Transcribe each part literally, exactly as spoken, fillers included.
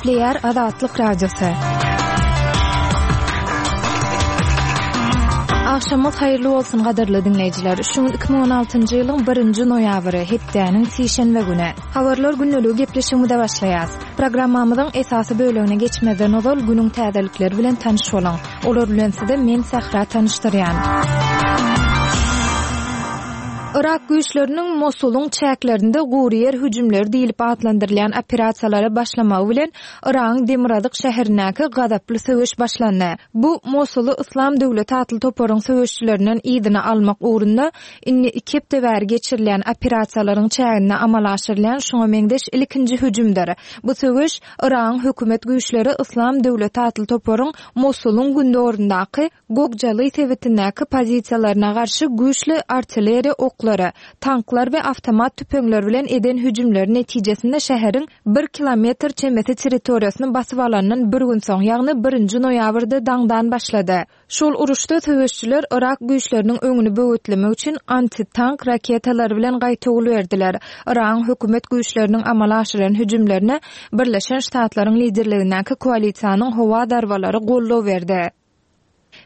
Gepleýär Azatlyk Radiosy. Agşamyňyz haýyrly bolsun gadyrly diňleýjiler. Şu gün iki müň on altynjy ýylyň birinji noýabry, hepdäniň sişenbe güni. Habarlar gündeligi gepleşigimize başlaýas. Programmamyzyň esasy bölegine geçmezden ozal günüň täzelikleri bilen tanyş boluň. Olar bilen size men Sähra tanyşdyrýan. Yrak güýçleriniň Mosulyň çäklerinde gury ýer hüjümleri diýlip atlandyrylýan operasiýalara başlamagy bilen Yragyň demirgazyk şäherindäki gazaply söweş başlandy. Bu Mosuly Yslam döwleti atly toparyň söweşçilerinden yzyna almak ugrunda indi iki hepde bäri geçirilýän operasiýalaryň çäginde amala aşyrylýan şuňa meňzeş ilkinji hüjümdir. Bu söweş Yragyň hökümet güýçleri Yslam döwleti atly toparyň Mosulyň gündogaryndaky Gokjaly sebitindäki pozisiýalaryna garşy güýçli artilleriýa oklary, tanklar we awtomat tüpeňler bilen eden hüjümleri netijesinde şäheriň bir kilometr çemesi territoriýasyny basyp alandan bir gün soň, ýagny birinji noýabrda daňdan başlady. Şol uruşda söweşçiler Yrak güýçleriniň öňüni böwetlemek üçin antitank raketalary bilen gaýtawul berdiler. Yragyň hökümet güýçleriniň amala aşyran hüjümlerine Birleşen Ştatlaryň liderligindäki koalisiýanyň howa zarbalary goldaw berdi.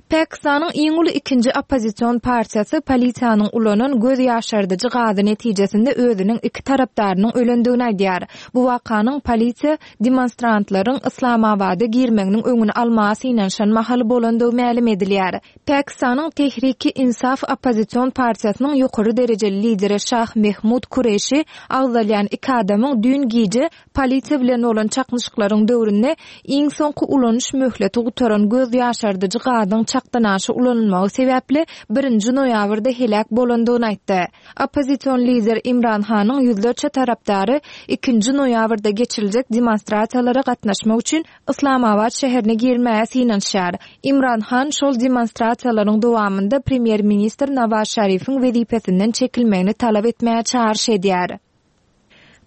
Pakistanyň iň uly ikinji oppozision partiýasy polisiýanyň ulanan göz ýaşardyjy gazy netijesinde özüniň iki tarapdarynyň ölendigini aýdýar. Bu wakanyň polisiýa demonstrantlaryň Islamabada girmeginiň öňüni almaga synanyşan mahaly bolandygy mälim edilýär. Pakistanyň Tehriki Insaf oppozision partiýasynyň ýokary derejeli lideri Şah Mehmud Kureşi agzalýan iki adamyň düýn gije polisiýa bilen bolan çaknyşyklaryň döwründe iň soňky ulanyş möhleti gutaran göz ýaşardyjy gazyň çakdanaşy ulanylmagy sebäpli birinji noýabrda heläk bolandygyny aýtdy. Oppozision lider Imran Hanyň ýüzlerçe tarapdary ikinji noýabrda geçiriljek demonstrasiýalara gatnaşmak üçin Islamabad şäherine girmäge synanyşýar. Imran Han şol demonstrasiýalaryň dowamynda premýer-ministr Nawaz Şarifiň wezipesinden çekilmegini talap etmäge çagyryş edýär.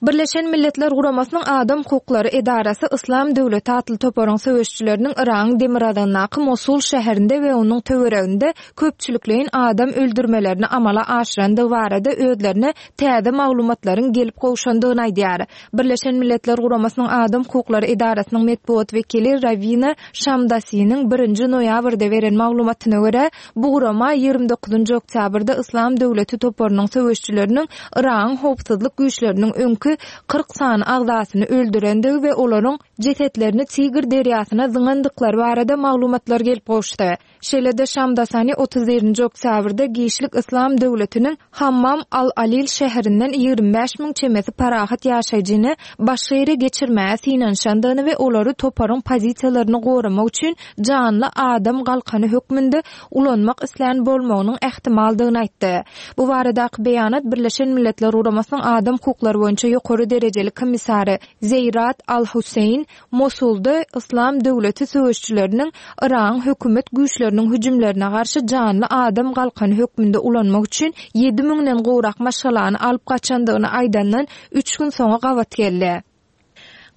Birleşen Milletler Guramasynyň Adam Hukuklary Edarasy Yslam Döwleti atly toparyň söweşçileriniň Yragyň demirgazygyndaky Mosul şäherinde we onuň töwereginde köpçülikleýin adam öldürmelerini amala aşyrandygy barada özlerine täze maglumatlaryň gelip gowşandygyny aýdýar. Birleşen Milletler Guramasynyň Adam Hukuklary Edarasynyň metbugat wekili Rawina Şamdasiniň birinji noýabrda beren maglumatyna görä, bu gurama ýigrimi dokuzynjy oktýabrda Yslam Döwleti toparynyň söweşçileriniň Yragyň howpsuzlyk güýçleriniň öňki kyrk sany agzasyny öldürendigi we olaryň jesetlerini Tigr derýasyna zyňandyklary barada maglumatlar gelip gowuşdy. Şeýle-de Şamdasani otuz birinji oktýabrda Giçlik Yslam Döwletiniň Hammam al-Alil şäherinden ýigrimi bäş müň çemesi parahat ýaşaýjyny başga ýere geçirmäge synanyşandygyny we olary toparyň pozisiýalaryny goramak üçin janly adam galkany hökmünde ulanmak islän bolmagynyň ähtimaldygyny aýtdy. Bu baradaky beýanat Birleşen Milletler Guramasynyň Adam Hukuklary boýunça ýokary derejeli komissary Zeýrat Al-Huseýn Mosulda Yslam Döwleti söweşçileriniň Yragyň hökümet güýçleriniň hüjümlerine garşy janly adam galkany hökmünde ulanmak üçin ýedi müňden gowrak maşgalany alyp gaçandygyny aýdandan üç gün soňa gabat geldi.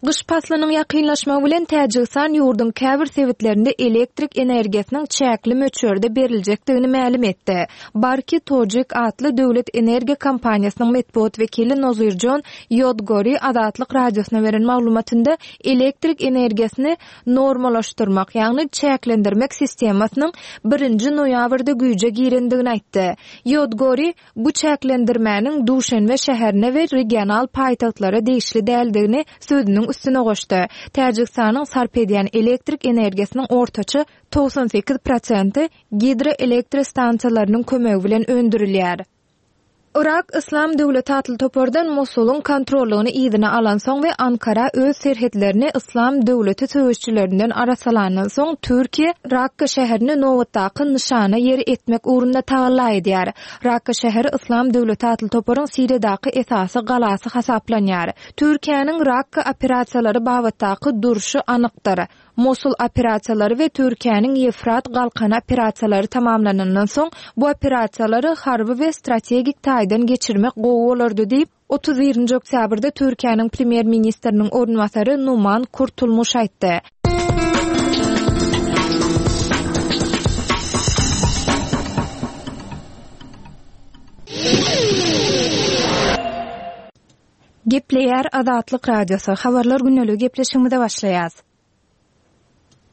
Gyş paslynyň ýakynlaşmagy bilen Täjigistan ýurduň käbir sebitlerinde elektrik energiýasynyň çäkli möçberde beriljekdigini mälim etdi. Barki Tojik atly döwlet energiýa kompaniýasynyň metbugat wekili Nozirjon Ýodgori Azatlyk radiosyna beren maglumatynda elektrik energiýasyny normallaşdyrmak, ýagny çäklendirmek sistemasynyň birinji noýabrda güýje girendigini aýtdy. Ýodgori bu çäklendirmäniň Duşenbe şäherine we regional paýtagtlara degişli däldigini sözüniň üstüne goşdy. Täjigistanyň sarp edýän elektrik energiýasynyň ortaça togsan sekiz prosenti gidroelektrostansiýalarynyň kömegi bilen öndürilýär. Irak Yslam Döwleti atly topardan Mosulyň kontrollygyny yzyna alansoň we Ankara öz serhetlerini Yslam Döwleti söweşçilerinden arasalandan soň Türkiýe Rakka şäherini nobatdaky nyşana ýeri etmek ugrunda tagalla edýär. Rakka şäheri Yslam Döwleti atly toparyň Siriýadaky esasy galasy hasaplanýar. Türkiýäniň Rakka operasiýalary babatdaky durşy anykdyr. Mosul operasiýalary we Türkiýäniň Ýefrat galkany operasiýalary tamamlanandan soň bu operasiýalary harby we strategik taýdan geçirmek gowy bolardy diýip, otuz birinji oktýabrda Türkiýäniň premýer-ministriniň orunbasary Numan Kurtulmuş aýtdy. Gepleýär Azatlyk Radiosy, Habarlar gündeligi gepleşigimize başlaýas.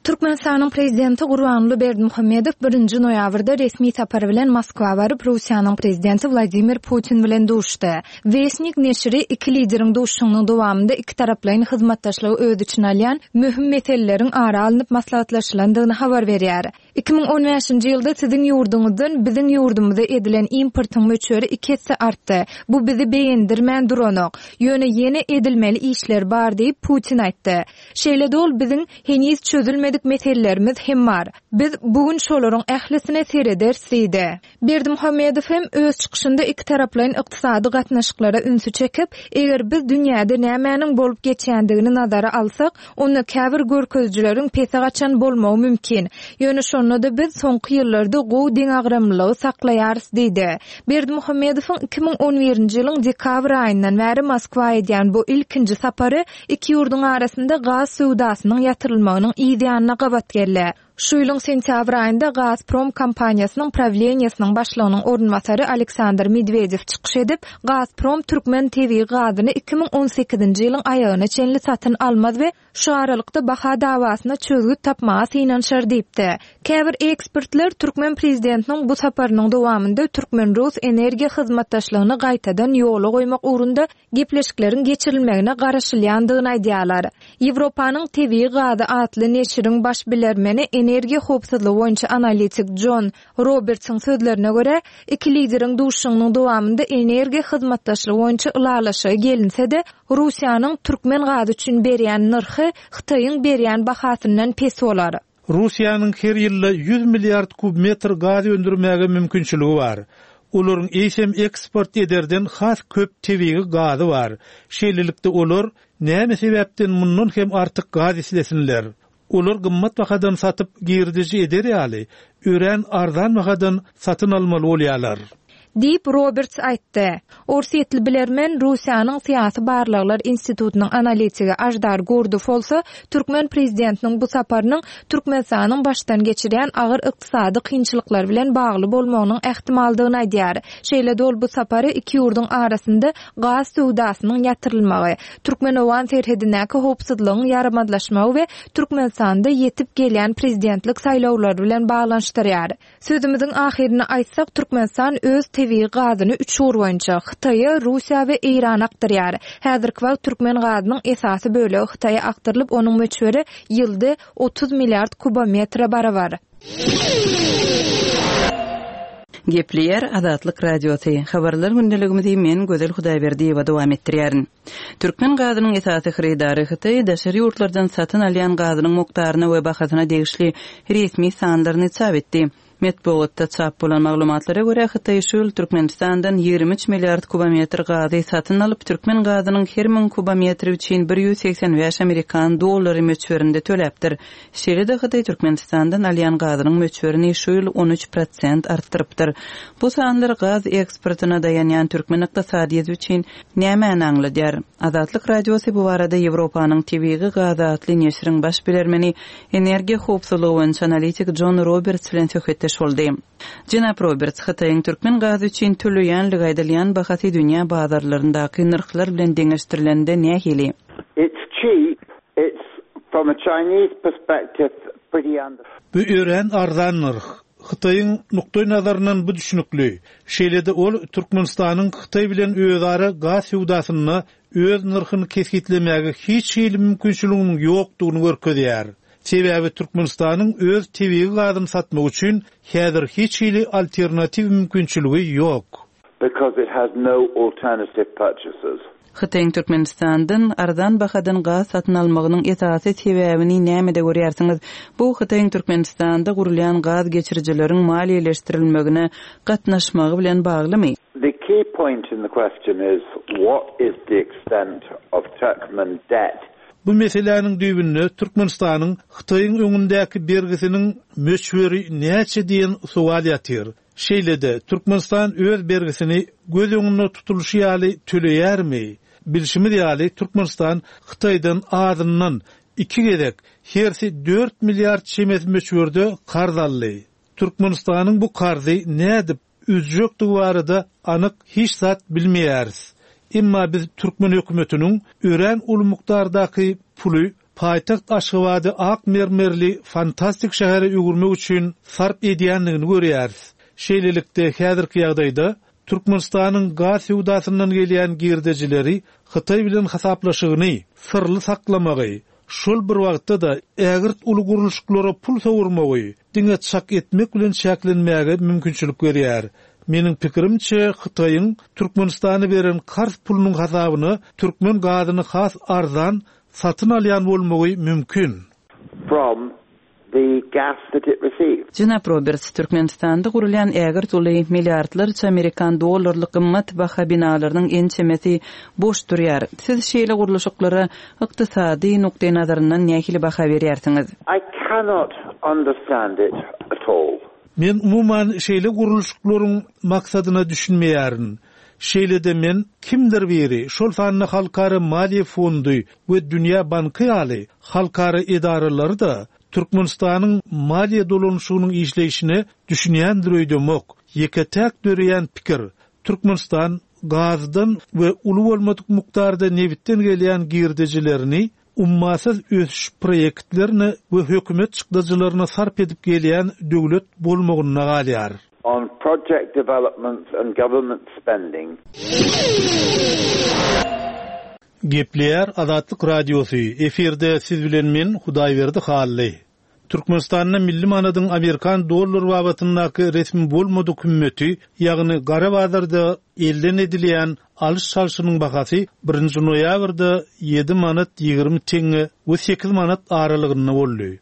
Türkmenistanyň Prezidenti Gurbanguly Berdimuhamedow birinji noýabrda resmi sapar bilen Moskwa baryp, Russiýanyň Prezidenti Wladimir Putin bilen duşdy. Westnik neşiri iki lideriň duşuşygynyň dowamynda ikitaraplaýyn hyzmatdaşlygy öz içine alýan möhüm meseleleriň ara alnyp maslahatlaşylandygyny habar berýär. Iki müň on bäşinji ýylda siziň ýurduňyzdan biziň ýurdumyza edilen importyň möçberi iki esse artdy. Bu bizi begendirmän duranok. Ýöne ýene edilmeli işler bar diýip, Putin aýtdy. Şeýle-de ol biziň heniz çözülmedik meselelerimiz hem bar. Biz bu gün şolaryň ählisine serederis diýdi. Berdimuhamedow hem öz çykyşynda ikitaraplaýyn ykdysady gatnaşyklara ünsi çekip, eger biz dünýäde nämäniň bolup geçýändigini nazara alsak, onda käbir görkezijileriň pese gaçan bolmagy mümkin. Ýöne şonda-da biz soňky ýyllarda gowy deňagramlylygy saklaýarys diýdi. Berdimuhamedowyň iki müň on birinji ýylyň dekabr aýyndan bäri Moskwa edýän bu ilkinji sapary iki ýurduň arasynda gaz söwdasynyň ýatyrylmagynyň yz ýanyna gabat geldi. Şu ýylyň sentýabr aýynda Gazprom kompaniýasynyň prawleniýesiniň başlygynyň orunbasary Aleksandr Medwedew çykyş edip, Gazprom türkmen tebigy gazyny iki müň on sekizinji ýylyň aýagyna çenli satyn almaz we şu aralykda baha dawasyna çözgüt tapmaga synanyşar diýipdi. Käbir ekspertler türkmen prezidentiniň bu saparynyň dowamynda türkmen-rus energiýa hyzmatdaşlygyny gaýtadan ýola goýmak ugrunda gepleşikleriň geçirilmegine garaşylýandygyny aýdýarlar. Ýewropanyň tebigy gazy atly neşiriň baş bilermeni energiýa howpsuzlygy boýunça analitik Jon Robertsiň sözlerine görä, iki lideriň duşuşygynyň dowamynda energiýa hyzmatdaşlygy boýunça ylalaşyga gelinse-de, Russiýanyň türkmen gazy üçin berýän nyrhy Hytaýyň berýän bahasyndan pes bolar. Russiýanyň her ýylda ýüz milliard kub metr gaz öndürmäge mümkinçiligi bar. Olaryň eýsem eksport ederden has köp tebigy gazy bar. Şeýlelikde olar näme sebäpden mundan hem artyk gaz islesinler? Olar gymmat bahadan satyp girdeji eder ýaly, örän arzan bahadan satyn almaly bolýarlar. Diýip Roberts aýtdy. Orsýetli bilermen Russiýanyň Syýasy barlaglar institutynyň analitigi Aždar Gurdow bolsa, türkmen prezidentiniň bu saparynyň Türkmenistanyň başdan geçirýän agyr ykdysady kynçylyklary bilen bagly bolmagynyň ähtimaldygyny aýdýar. Şeýle-de ol bu sapary iki ýurduň arasynda gaz söwdasynyň ýatyrylmagy, Türkmen-Owgan serhedindäki howpsuzlygyň ýaramazlaşmagy we Türkmenistanda ýetip gelýän prezidentlik saýlawlary bilen baglanyşdyrýar. Sözümiziň ahyryny aýtsak, Türkmenistan öz tebigy gazyny üç ugur boýunça Hytaýa, Russiýa we Eýrana akdyrýar. Häzirki wagt türkmen gazynyň esasy bölegi Hytaýa akdyrylyp, onuň möçberi ýylda otuz milliard kubometre barabar. Gepleýär Azatlyk Radiosy. Habarlar gündeligimizi men Gözel Hudaýberdiýewa dowam etdirýärin. Türkmen gazynyň esasy hyrydary Hytaý daşary ýurtlardan satyn alýan gazynyň mukdaryna we bahasyna degişli resmi sanlaryny çap etdi. Metbugatda çap bolan maglumatlara görä, Hytaý şu ýyl Türkmenistandan ýigrimi üç milliard kubometr gazy satyn alyp, türkmen gazynyň her müň kubometri üçin bir ýüz segsen bäş amerikan dollary möçberinde töläpdir. Şeýle-de Hytaý Türkmenistandan alýan gazynyň möçberini şu ýyl on üç prosent artdyrypdyr. Bu sanlar gaz eksportyna daýanýan türkmen ykdysadyýeti üçin nämäni aňladýar? Azatlyk Radiosy bu barada Ýewropanyň tebigy gazy atly neşiriň baş bilermeni, energiýa howpsuzlygy boýunça analitik Jon Roberts bilen söhbetdeş boldy. Jenap Roberts, Hytaýyň türkmen gazy üçin töleýänligi aýdylýan bahasy dünýä bazarlaryndaky nyrhlar bilen deňeşdirilende nähili? It's cheap. It's from a Chinese perspective pretty under. Bu örän arzan nyrh. Hytaýyň nukdaý nazaryndan bu düşünikli. Şeýle-de ol Türkmenistanyň Hytaý bilen özara gaz söwdasynda öz nyrhyny kesgitlemäge hiç hili mümkinçiliginiň ýokdugyny görkezýär. Sebäbi Türkmenistanyň öz tebigy gazyny satmak üçin häzir hiç hili alternatiw mümkinçiligi ýok. Because it has no alternative purchases. Hytaýyň Türkmenistandan arzan bahadan gaz satyn almagynyň esasy sebäbini nämede görýärsiňiz? Bu Hytaýyň Türkmenistanda gurulýan gaz geçirijileriň maliýeleşdirilmegine gatnaşmagy bilen baglymy? The key point in the question is what is the extent of Turkmen debt? Bu meseläniň düýbünde Türkmenistanyň Hytaýyň öňündäki bergisiniň möçberi näçe diýen sowal ýatyr. Şeýle-de Türkmenistan öz bergisini göz öňünde tutulyşy ýaly töleýärmi? Bilşimiz ýaly Türkmenistan Hytaýdan azyndan iki gezek hersi dört milliard çemesi möçberde karz aldy. Türkmenistanyň bu karzy nädip üzjekdigi barada anyk hiç zat bilmeýäris. Emma biz türkmen hökümetiniň örän uly mukdardaky puly paýtagt Aşgabady ak mermerli fantastik şähere öwürmek üçin sarp edýändigini görýäris. Şeýlelikde häzirki ýagdaýda Türkmenistanyň gaz söwdasyndan gelýän girdejileri Hytaý bilen hasaplaşygyny syrly saklamagy, şol bir wagtda-da ägirt uly gurluşyklara pul sowurmagy diňe çak etmek bilen çäklenmäge mümkinçilik berýär. Meniň pikirimçe Hytaýyň Türkmenistana beren karz pulunyň hasabyna türkmen gazyny has arzan satyn alýan bolmagy mümkin. From the gas that it receives. Jenap Roberts, Türkmenistanda gurulýan ägirt uly milliardlarça amerikan dollarlyk gymmat baha binalarynyň ençemesi boş durýar. Siz şeýle gurluşyklara ykdysady nukdaý nazaryndan nähili baha berýärsiňiz? I cannot understand it at all. Men umuman şeýle gurluşyklaryň maksadyna düşünmeýärin. Şeýle-de men kimdir biri, şol sanda Halkara Maliýe Fondy we Dünýä Banky ýaly halkara edaralary-da Türkmenistanyň maliýe dolanyşygynyň işleýşine düşünýändir öýdemok. Ýeke-täk döreýän pikir Türkmenistan gazdan we uly bolmadyk mukdarda nebitden gelýän girdejilerini ummasyz ösüş proýektlerine we hökümet çykdajylaryna sarp edip gelýän döwlet bolmagynda galýar. On project development and government spending. Gepleýär Azatlyk Radiosy. Efirde siz bilen men Hudaýberdi Hally. Türkmenistanda milli manadyň amerikan dollar babatyndaky resmi bolmadyk hümmeti, ýagny gara bazarda elden edilýän alyş-çalşynyň bahasy birinji noýabrda ýedi manat ýigrimi teňňe we sekiz manat aralygynda boldy.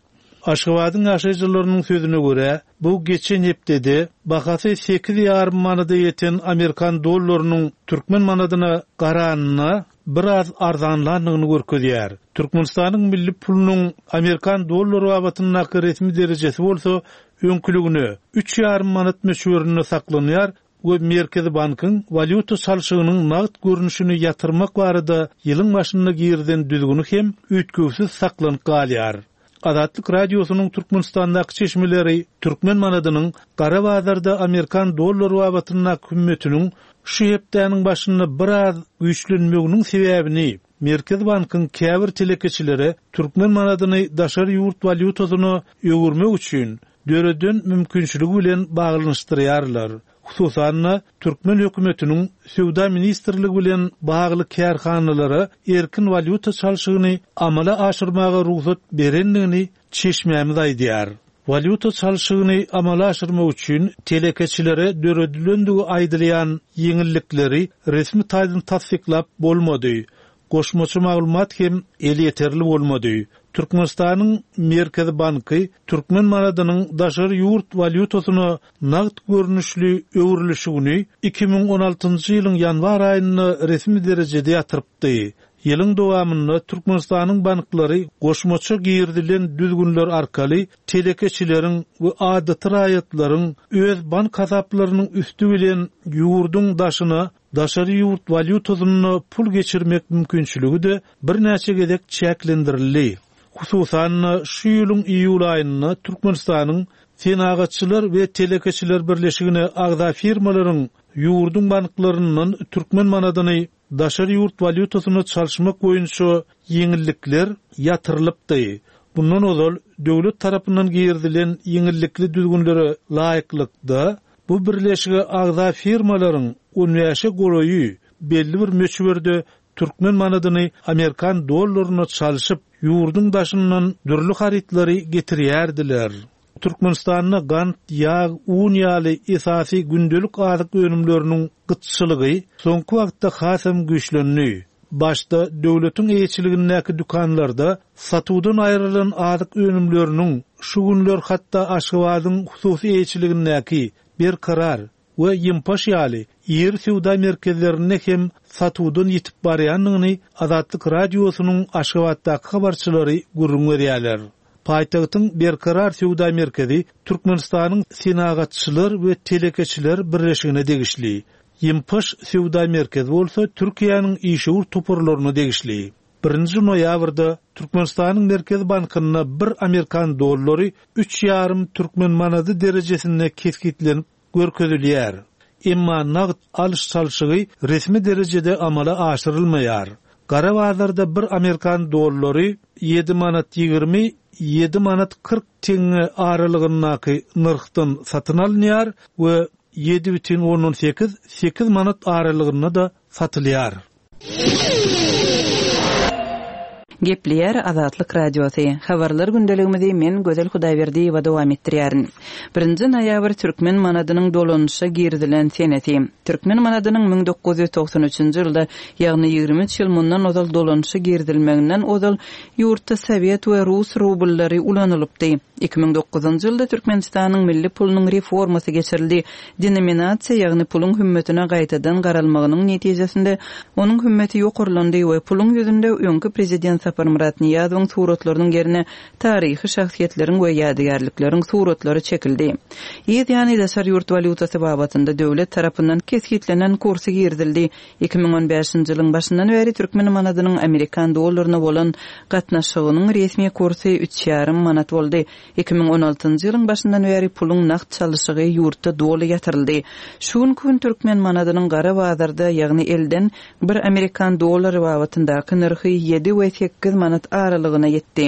Aşgabadyň ýaşaýjylarynyň sözüne görä, bu geçen hepdede bahasy sekiz ýarym manada ýeten amerikan dollarynyň türkmen manadyna garanyna biraz arzanlandygyny görkezýär. Türkmenistanyň milli pulunyň amerikan dollary babatyndaky resmi derejesi bolsa öňküligine üç ýarym manat möçberinde saklanýar we Merkezi bankyň walýuta çalşygynyň nagt görnüşini ýatyrmak barada ýylyň başynda girizen düzgüni hem üýtgewsiz saklanyp galýar. Azatlyk Radiosynyň Türkmenistandaky çeşmeleri türkmen manadynyň gara bazarda amerikan dollary babatyndaky hümmetiniň şu hepdäniň başynda biraz güýçlenmeginiň sebäbini Merkezi bankyň käbir telekeçilere türkmen manadyny daşary ýurt walýutasyna öwürmek üçin döreden mümkinçiligi bilen baglanyşdyrýarlar. Hususan-da, türkmen hökümetiniň Söwda ministrligi bilen bagly kärhanalara erkin walýuta çalşygyny amala aşyrmaga rugsat berendigini çeşmämiz aýdýar. Walýuta çalşygyny amala aşyrmak üçin telekeçilere döredilendigi aýdylýan ýeňillikleri resmi taýdan tassyklap bolmady. Goşmaça maglumat hem elýeterli bolmady. Türkmenistanyň Merkezi banky türkmen manadynyň daşary ýurt walýutasyna nagt görnüşli öwrülişigini iki müň on altynjy ýylyň ýanwar aýynda resmi derejede ýatyrypdy. Ýylyň dowamynda Türkmenistanyň banklary goşmaça girizilen düzgünler arkaly telekeçileriň we adaty raýatlaryň öz bank hasaplarynyň üsti bilen ýurduň daşyna daşary ýurt walýutasynda pul geçirmek mümkinçiligi de birnäçe gezek çäklendirildi. Hususan-da şu ýylyň iýul aýynda Türkmenistanyň Senagatçylar we Telekeçiler Birleşigine agza firmalaryň ýurduň banklaryndan türkmen manadyny daşary ýurt walýutasyna çalyşmak boýunça ýeňillikler ýatyrylypdy. Bundan ozal döwlet tarapyndan girizilen ýeňillikli düzgünlere laýyklykda bu birleşige agza firmalaryň on bäşe golaýy belli bir möçberde türkmen manadyny amerikan dollaryna çalyşyp ýurduň daşyndan dürli harytlary getirýärdiler. Türkmenistanda gant, ýag, un ýaly esasy gündelik azyk önümleriniň gytçylygy soňky wagtda hasam güýçlendi. Başda döwletiň eýeçiligindäki dükanlarda satuwdan aýrylan azyk önümleriniň şu günler hatda Aşgabadyň hususy eýeçiligindäki Berkarar we Ýympaş ýaly iri söwda merkezlerinde hem satuwdan ýitip barýandygyny Azatlyk Radiosynyň Aşgabatdaky habarçylary gürrüň berýärler. Paýtagtyň Berkarar söwda merkezi Türkmenistanyň Senagatçylar we Telekeçiler Birleşigine degişli. Ýympaş söwda merkezi bolsa Türkiýäniň işewür toparlaryna degişli. Birinji noýabrda Türkmenistanyň Merkezi Bankynda bir amerikan dollary üç ýarym türkmen manady derejesinde kesgitlenip görkezilýär. Emma nagt alyş-çalşygy resmi derejede amala aşyrylmaýar. Gara bazarda bir amerikan dollary ýedi manat ýigrimi, ýedi manat kyrk teňňe aralygyndaky nyrhdan satyn alynýar we ýedi bütin ondan sekiz, sekiz manat aralygynda-da satylýar. Gepleýär Azatlyk Radiosy. Habarlar gündeligimizi men Gözel Hudaýberdiýewa dowam etdirýärin. Birinji noýabr türkmen manadynyň dolanyşa girizilen senesi. Türkmen manadynyň müň dokuz ýüz togsan üçünji ýylda, ýagny ýigrimi üç ýyl mundan ozal dolanyşa girizilmeginden ozal ýurtda sowet we rus rubllary ulanylypdy. Iki müň dokuzynjy ýylda Türkmenistanyň milli pulunyň reformasy geçirildi. Denominasiýa, ýagny puluň hümmetine gaýtadan garalmagynyň netijesinde onuň hümmeti ýokarlandy we puluň ýüzünde öňki prezident Saparmyrat Nyýazowyň suratlarynyň ýerine taryhy şahsyýetleriň we ýadygärlikleriň suratlary çekildi. Ýyl ýany daşary ýurt walýutasy babatynda döwlet tarapyndan kesgitlenen kursy girizildi. Iki müň on bäşinji ýylyň başyndan bäri türkmen manadynyň amerikan dollaryna bolan gatnaşygynyň resmi kursy üç ýarym manat boldy. Iki müň on altynjy ýylyň başyndan bäri puluň nagt çalyşygy ýurtda doly ýatyryldy. Şu günki gün türkmen manadynyň gara bazarda, ýagny elden bir amerikan dollary babatyndaky nyrhy ýedi we sekiz manat aralygyna ýetdi.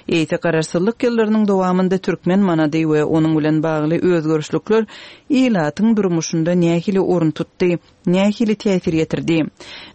Eýse garaşsyzlyk ýyllarynyň dowamynda türkmen manady we onuň bilen bagly özgerişlikler ilatyň durmuşynda nähili orun tutdy, nähili täsir ýetirdi?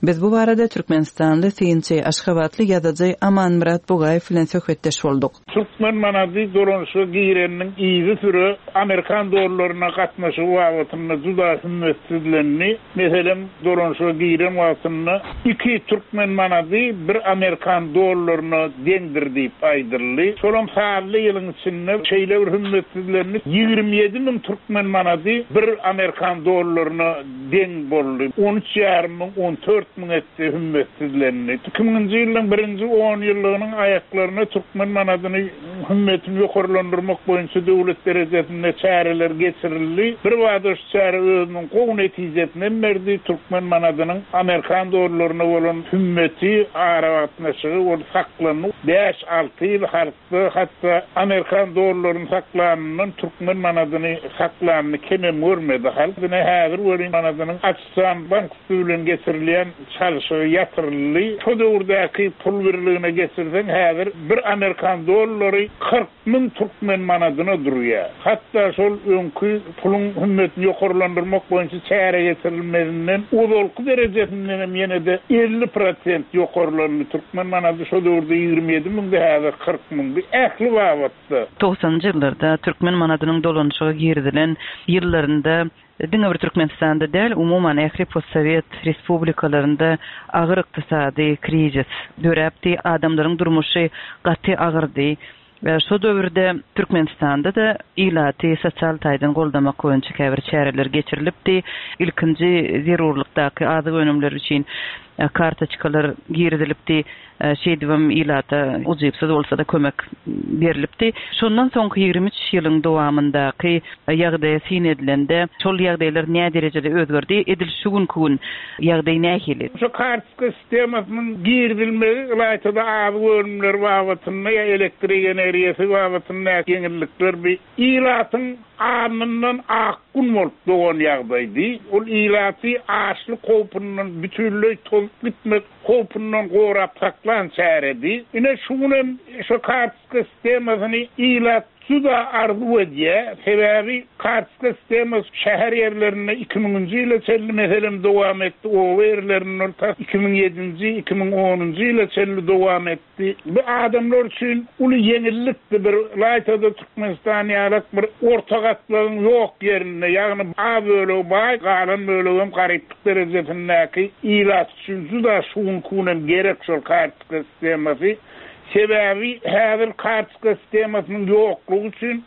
Biz bu barada Türkmenistanly synçy, Aşgabatly ýazyjy Amanmyrat Bugaýew bilen söhbetdeş bolduk. Türkmen manady dolanyşa gireniniň yzy süre amerikan dollaryna gatnaşygy babatynda juda hümmetsizlendi. Meselem, dolanyşa giren wagtynda iki türkmen manady bir amerikan dollaryna deňdir diýip aýdyldy. Şolam sanly ýylyň içinde şeýle bir hümmetsizlendi. Ýigrimi ýedi müň türkmen manady bir amerikan dollaryna deň boldy. On üç ýarym müň, on dört müň etse hümmetsizlendi. Iki müňünji ýylyň birinji on ýyllygynyň aýaklaryna türkmen manadyny hümmetini ýokarlandyrmak boýunça döwlet derejesinde çäreler geçirildi. Bir bada şu çäre özüniň gowy netijesini berdi. Türkmen manadynyň amerikan dollaryna bolan hümmeti, aragatnaşygy ol saklandy. Bäş alty ýyl halkda hatda amerikan dollaryny saklanyndan türkmen manadyny saklanyny kemem görmedi. Halk ine häzir welin manadynyň açan bank bilen geçirilýän çalşygy ýatyryldy. Şo döwürdäki pul birligine geçirseň häzir bir amerikan dollary kyrk müň türkmen manadyna durýar. Hatda şol öňki puluň hümmetini ýokarlandyrmak boýunça çäre geçirilmezinden ozalky derejesinden hem ýene de elli prosent ýokarlandy. Türkmen manady şo döwürde ýigrimi ýedi müňde häzir kyrk müňdi. Ähli babatda. Togsanjy ýyllarda türkmen manadynyň dolanyşyga girizilen ýyllarynda diňe bir Türkmenistanda däl, umuman ähli postsowet respublikalarynda agyr ykdysady krizis döräpdi. Adamlaryň durmuşy gaty agyrdy. Ve şo döwürde Türkmenistanda da ilaty sosial taýdan goldamak boýunça käbir çäreler geçirilipdi. Ilkinji zerurlykdaky azyk önümleri üçin, e, kartoçkalar girizilipdi. E, şeýdibem ilata ujypsyz bolsa da kömek berilipdi. Şondan soňky ýigrimi üç ýylyň dowamyndaky ýagdaýa syn edilende şol ýagdaýlar näme derejede özgerdi? Edil şu günki gün ýagdaý nähili? Şu kartoçka sistemasynyň girizilmegi ylaýtada azyk önümleri babatynda ýa elektrik energiýasy babatynda ýeňillikler bir ilatyň alnyndan ak gün bolup dogan ýagdaýdy. Ol ilaty açlyk howpundan bütünleý tozup gitmek howpundan gorap saklan çäredi. Ine şu günem şu kartoçka sistemasyny ilat juda arzuw edýär. Sebäbi kartoçka sistemasy şäher ýerlerinde iki müňünji ýyla çenli meselem dowam etdi. Oba ýerlerinde tas iki müň ýedinji, iki müň onunjy ýyla çenli dowam etdi. Bu adamlar üçin uly ýeňillikdi. Bir laýtada Türkmenistan ýalak bir orta gatlagyň ýok ýerinde, ýagny az bölegi baý, galan bölegi hem garyplyk derejesindäki ilat üçin juda şu günki günem gerek şol kartoçka sistemasy. Sebäbi häzir kartoçka sistemasynyň ýoklugy üçin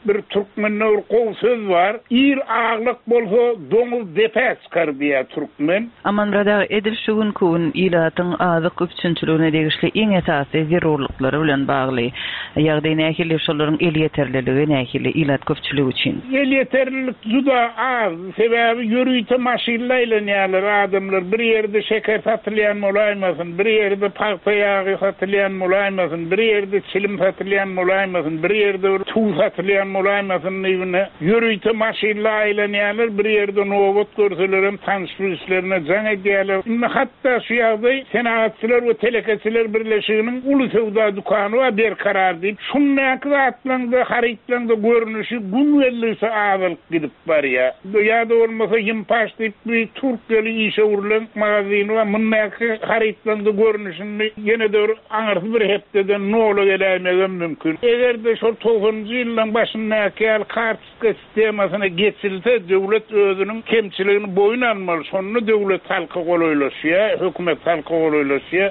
bir türkmende bir gowy söz bar. Il aglyk bolsa doňuz depä çykar diýär türkmen. Amanmyrat aga, edil şu günki gün ilatyň azyk üpjünçiligine degişli iň esasy zerurlyklary bilen bagly ýagdaý nähili, şolaryň elýeterliligi nähili ilat köpçüligi üçin? Elýeterlilik juda az. Sebäbi ýörite maşynla aýlanýarlar adamlar. Bir ýerde şeker satylýan bolaýmasyn, bir ýerde pagta ýagy satylýan bolaýmasyn, bir ýerde çilim satylýan bolaýmasyn, bir ýerde bir tuz satylýan Arzan bolaýmasyn diýibine ýörite maşynla aýlanýarlar, bir ýerde nobat görseler hem tanyş bilişlerine jaň edýärler. Indi hatda şu ýagdaý Senagatçylar we Telekeçiler Birleşiginiň uly söwda dükany bar Berkarar diýip, şundaky zatlaryň harytlaryň görnüşi gün geldigçe azalyp gidip barýar. Ýa-da bolmasa Ýimpaş diýip bir Türkiýeli işewürler magazyny bar, mundaky harytlaryň görnüşini ýene de bir aňyrsy bir hepdeden nola geläýmegem mümkin. Eger-de şol togsanynjy ýyllaryň başyndaky ýaly kartoçka sistemasyna geçilse, döwlet özüniň kemçiligini boýun almaly. Şonda döwlet halka golaýlaşýar, hökümet halka golaýlaşýar.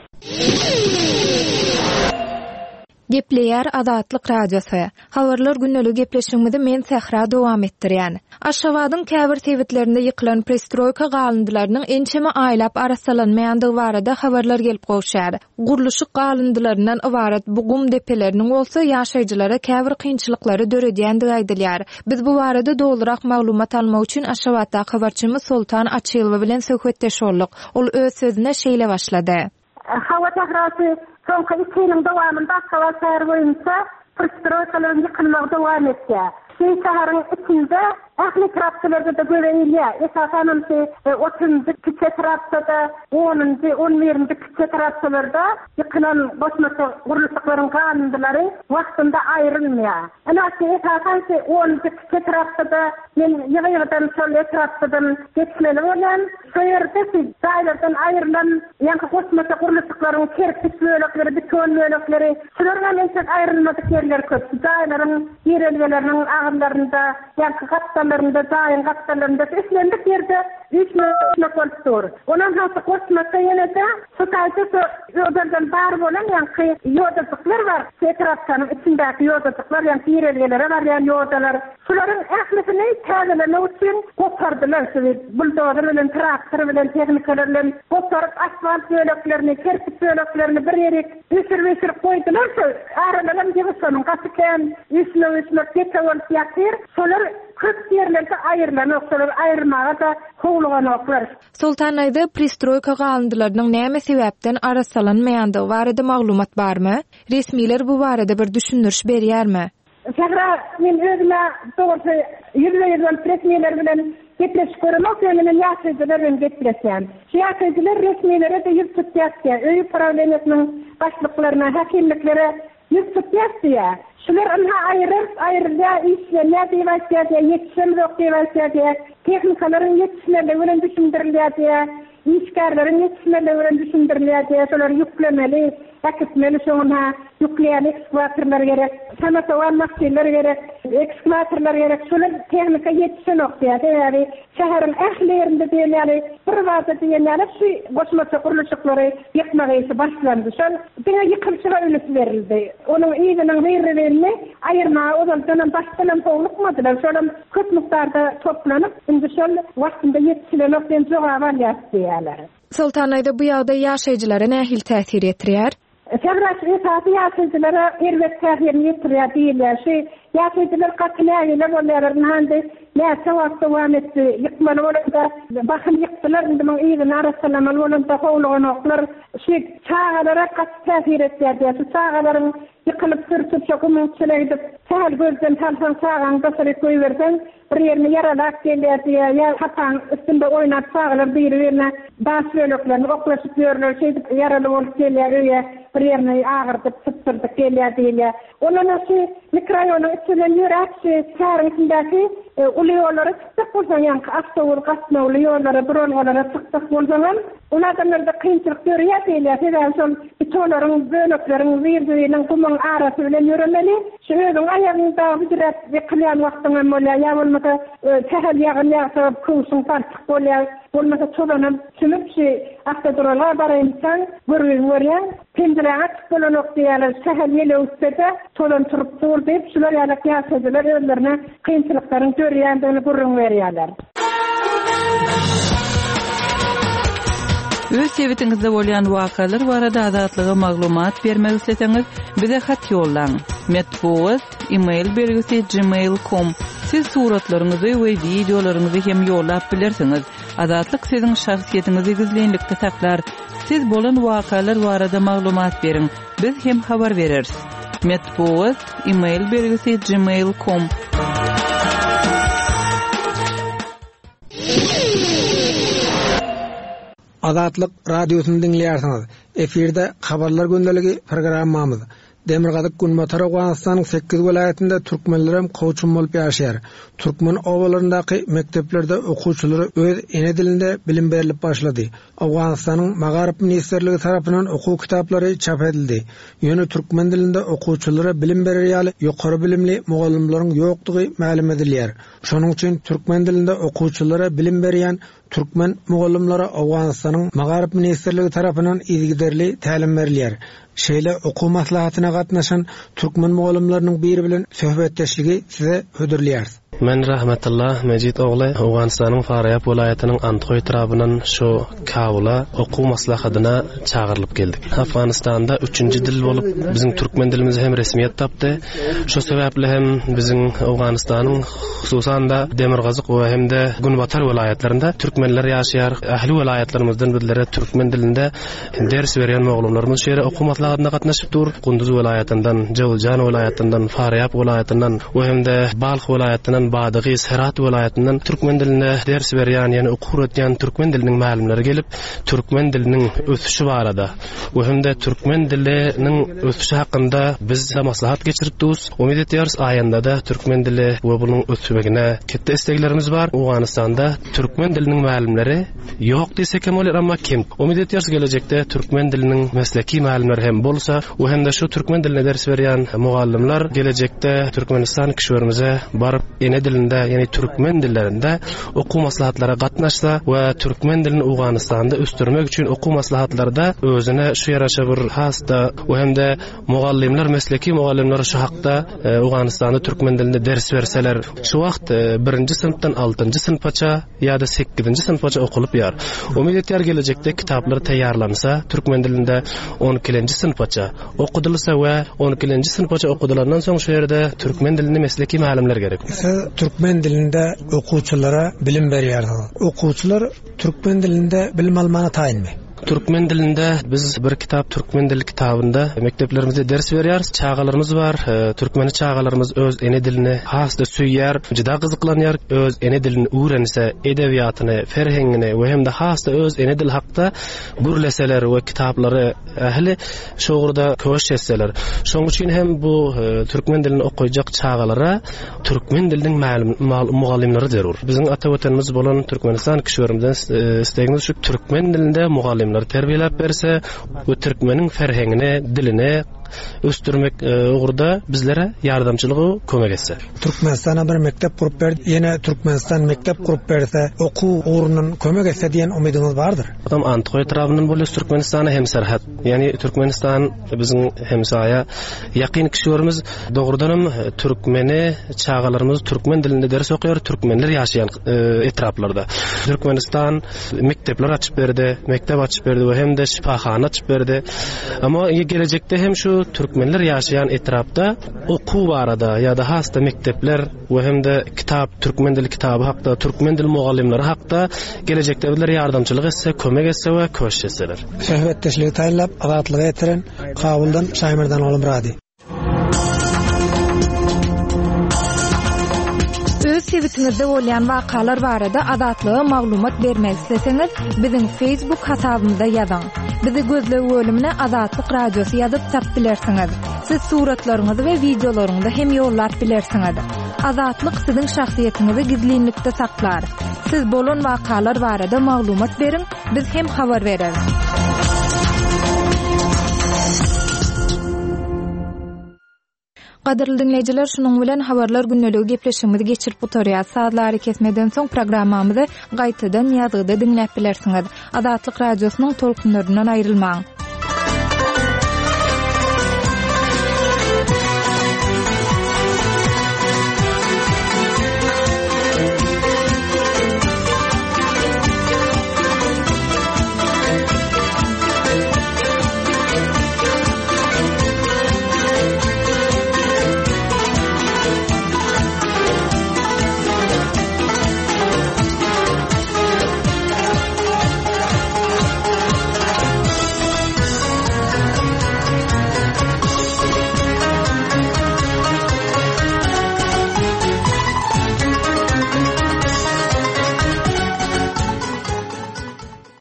Gepleýär Azatlyk Radiosy. Habarlar gündelik gepleşigimizi men Sähra dowam etdirýän. Aşgabadyň käbir sebitlerinde ýykylan prestroýka galyndylarynyň ençeme aýlap arassalanmaýandygy barada habarlar gelip gowşýar. Gurluşyk galyndylaryndan ybarat bu gum depeleriniň bolsa ýaşaýjylara käbir kynçylyklary döredýändigi aýdylýar. Biz bu barada dolurak maglumat almak üçin Aşgabatdaky habarçymyz Soltan Açylowa bilen söhbetdeş bolduk. Ol öz sözüne şeýle başlady. Hawa sährasy soňky iki ýylyň dowamynda Aşgabat şäheri boýunça prestroýkalaryň ýykylmagy dowam etýär. Şu şäheriň içinde ähli etrapçalarda-da göze ilýär. Esasanam şu otuzunjy kiçi etrapçada, onunjy, on birinji kiçi etrapçalarda ýykylan goşmaça gurluşyklaryň galyndylary wagtynda aýrylmaýar. Ina şu esasan şu onunjy kiçi etrapçada men ýygy-ýygydan şol etrapçadan geçmeli bolýan. Şu ýerde şu jaýlardan aýrylan ýaňky goşmaça gurluşyklaryň kerpiç bölekleri, beton bölekleri, şular hem entek aýrylmadyk ýerler köp. Şu jaýlaryň girelgeleriniň agyrlarynda, ýaňky gapdallarynda, jaýyň gapdallarynda islendik ýerde üýşmek bolup dur. Ondan soň goşmaça ýene-de şu taýda şu ýoldan bar bolan ýaňky ýodajyklar bar. Şu etrapçanyň içindäki ýodajyklar, ýaňky girelgelere barýan ýodalar. Şularyň ählisini täzelemek üçin gopardylar. Şu buldozer bilen, traktor bilen, tehnikalar bilen goparyp asfalt böleklerini, kerpiç böleklerini bir ýere üýşürip-üýşürip goýdular. Şu aralaram ýygyşanyň gaty kän üýşmek-üýşmek depe bolup ýatyr. Şolar köp ýerlerde aýrylanok, şolar aýyrmaga da howluganoklar. Soltan aýda pristroýka galyndylarynyň näme sebäpden arassalanmaýandygy barada maglumat barmy? Resmiler bu barada bir düşündiriş berýärmi? Sähra, men özüme dogrusu ýüzbe-ýüz bolup resmiler bilen gepleşip göremok, ýöne men ýaşaýjylar bilen gepleşýän. Şu ýaşaýjylar resmilere de ýüz tutýar diýýär. Öý prawleniýasynyň başlyklaryna, häkimliklere ýüz tutýar diýýär. Şular ynha aýryr, aýrylýar, işlenýär diýip aýtýar diýýär, ýetişemzok diýip aýtýar diýýär. Tehnikalaryň ýetişmezligi bilen düşündirilýär diýýär. Işgärleriň ýetişmezligi bilen düşündirilýär diýýär. Şolary ýüklemeli, äkitmeli, şoňa ýükleýän ekskavatorlar gerek, sanatawan maşynlar gerek, ekskavatorlar gerek. Şolar tehnika ýetişenok diýýär. Sebäbi şäheriň ähli ýerinde diýen ýaly bir wagtda diýen ýaly şu goşmaça gurluşyklary ýykmak işi başlandy. Şol diňe ýykylşyga üns berildi. Onuň yzynyň zirrini aýyrmaga ozaldanam başdanam howlukmadylar. Şolam köp mukdarda toplanyp, indi şol wagtynda ýetişilenok diýen jogap alýar diýýärler. Soltan aýda bu ýagdaý ýaşaýjylara nähili täsir ýetirýär? Sähra esasy ýaşaýjylara erbet täsirini ýetirýär diýilýär. Şu ýaşaýjylar gaty nägile bolýarlar. Indi näçe wagt dowam etdi, ýykmaly bolanda bahym ýykdylar, indi muň yzyny arassalamaly bolanda howluganoklar. Şu çagalara gaty täsir etýär diýýär. Şu çagalaryň ýykylyp sürtüp, şu gumuň içine gidip, sähel gözden salsaň çagaň daşary goýberseň, bir ýerine ýaralap gelýär diýýär. Ýa hapaň üstünde oýnap çagalar biri-birine daş böleklerini oklaşyp ýörler, şeýdip ýaraly bolup gelýär öýe, bir ýerine agyrdyp, sypdyrdyp gelýär diýilýär. Ondan şu mikroraýonyň içinden ýöräp, şu şäheriň içindäki, e, uly ýollara çykdyk bolsaň, ýaňky awtobus gatnawly ýollara, duralgalara çykdyk bolsaň, ol adamlarda kynçylyk dörýär diýilýär. Sebäbi şol bitolaryň, bölekleriň, zir-ziriniň gumuň arasy bilen ýöremeli. Şu özüň aýagyňda büdüräp ýykylýan wagtyň hem bolýar, ýa bolmasa, e, sähel ýagyn ýagsa köwşüň parçyk bolýar. Bolmasa tozanam çümüp şu awtoduralga baraýynsaň, görgüň görýän, penjiräňe açyk bolanok diýýärler. Sähel ýel öwütse-de tozan turup dur diýip, şular ýaly ýaşaýjylar özlerine kynçylyklaryň dörýändigini gürrüň berýärler. Öz sebitiňizde bolýan wakalar barada Azatlyga maglumat bermek isleseňiz, bize hat ýollaň. Metbugat, e-mail belgisi gmail nokta com. Siz suratlaryňyzy we wideolaryňyzy hem ýollap bilersiňiz. Azatlyk siziň şahsyýetiňizi gizlinlikde saklar. Siz bolan wakalar barada maglumat beriň. Biz hem habar bereris. Metbugat, e-mail belgisi gmail nokta com. Azatlyk radiosyny diňleýärsiňiz. Efirde habarlar gündeligi programmamyz. Demirgazyk Günbatar Owganystanyň sekiz welaýatynda türkmenlerem kowçum bolup ýaşaýar. Türkmen obalaryndaky mekdeplerde okuwçylara öz ene dilinde bilim berlip başlady. Owganystanyň Magaryf ministrligi tarapyndan okuw kitaplary çap edildi. Ýöne türkmen dilinde okuwçylara bilim berer ýaly ýokary bilimli mugallymlaryň ýokdugy mälim edilýär. Şonuň üçin türkmen dilinde okuwçylara bilim berýän türkmen mugallymlara Owganystanyň Magaryf ministrligi tarapyndan yzygiderli tälim berilýär. Şeýle okuw maslahatyna gatnaşan türkmen mugallymlarynyň biri bilen söhbetdeşligi size hödürleýäris. Men Rahmetullah Mejit ogly Owganystanyň Farýab welaýatynyň Anthoý etrabyndan şu Kabula okuw maslahatyna çagyrylyp geldik. Afganistanda üçünji dil bolup biziň türkmen dilimiz hem resmiýet tapdy. Şu sebäpli hem biziň Owganystanyň hususan da Demirgazyk we hem de Günbatar welaýatlarynda türkmenler ýaşaýar. Ähli welaýatlarymyzdan bizlere türkmen dilinde ders berýän mugallymlarymyz şu ýere okuw maslahatyna gatnaşyp dur. Gunduz welaýatyndan, Jowzjan welaýatyndan, Farýab welaýatyndan we hem de Balh welaýatyndan, Badagys, Herat welaýatyndan türkmen dilinde ders berýän, ýagny okuw öwretýän türkmen diliniň mälimleri gelip, türkmen diliniň ösüşi barada we hem de türkmen diliniň ösüşi hakynda biz maslahat geçirip duruz. Umyt edýäris aýanda da türkmen dili we bunuň ösmegine ketde isleglerimiz bar. Owganystanda türkmen diliniň mälimleri ýok diýsek hem bolar, amma kim? Umyt edýäris gelejekde türkmen diliniň mesleki mälimleri hem bolsa we hem de şu türkmen diline ders berýän mugallymlar gelejekde Türkmenistan kişilerimize baryp ene dilinde, ýagny türkmen dillerinde okuw maslahatlara gatnaşsa we türkmen dilini Owganystanda ösdürmek üçin okuw maslahatlarda özüne şu ýaraşa bir has-da we hem de mugallymlar, mesleki mugallymlar şu hakda, e, Owganystanda türkmen dilinde ders berseler, şu wagt, e, birinji synpdan altynjy synpaça ýa-da sekizinji synpaça okulyp ýar. Umyt edýär gelejekde kitaplar taýýarlansa, türkmen dilinde on ikinji synpaça okudylsa we on ikinji synpaça okudylandan soň şu ýerde türkmen dilini mesleki mälimler gerek. Siz türkmen dilinde okuwçylara bilim berýärsiňiz. Okuwçylar türkmen dilinde bilim almana taýynmy? Türkmen dilinde biz bir kitap türkmen dili kitabynda mekdeplerimizde ders berýäris. Çagalarymyz bar. E, türkmeni çagalarymyz öz ene dilini has-da söýýär, juda gyzyklanýar. Öz ene dilini öwrense, edebiýatyny, ferhengini we hem de has-da öz ene dili hakda gürleseler we kitaplary ähli şu ugurda köş etseler. Şonuň üçin hem bu, e, türkmen dilini okuyacak çagalara türkmen diliniň mälim, mal-, mugallymlary zerur. Biziň ata watanymyz bolan Türkmenistan kişilerimizden, e, istegimiz şu türkmen dilinde mugallymlary terbiýeläp berse we türkmeniň ferhengini, dilini ösdürmek, e, ugurda bizlere ýardamçylygy kömek etse. Türkmenistana bir mektep gurup berdi, ýene Türkmenistan mektep gurup berse, okuw ugrundan kömek etse diýen umydyňyz bardyr. Adam Anthoý etrabyndan bolýar, Türkmenistana hem serhet. Ýagny Türkmenistan biziň hemsaýa ýakyn kişilerimiz dogrudanam türkmeni çagalarymyz türkmen dilinde ders okuýar, türkmenler ýaşaýan, e, etraplarda. Türkmenistan mektepler açyp berdi, mektep açyp berdi we hem de şifahana açyp berdi. Amma gelejekde hem şu türkmenler ýaşaýan etrapda okuw barada ýa-da has-da mektepler we hem de kitap, türkmen dili kitaby hakda, türkmen dili mugallymlary hakda gelejekde bizler ýardamçylyk etse, kömek etse we köşeşseler. Söhbetdeşligi taýynlap Azatlyga ýetiren Kabuldan Şaýmerdan Ogulmyrady. Öz sebitiňizde bolýan wakalar barada Azatlyga maglumat bermek isleseňiz, biziň Facebook hasabymyza ýazyň. Bizi gözleg bölümine Azatlyk Radiosy ýazyp tap bilersiňiz. Siz suratlaryňyzy we wideolaryňyzy hem ýollap bilersiňiz. Azatlyk siziň şahsyýetiňizi gizlinlikde saklar. Siz bolan wakalar barada maglumat beriň, biz hem habar bereris. Gadyrly dinleýjiler, şunuň bilen habarlar gündeligi gepleşigimizi geçirip gutarýar. Sazlary kesmeden soň programmamyzy gaýtadan ýazgyda diňläp bilersiňiz. Azatlyk Radiosynyň tolkunlaryndan aýrylmaň.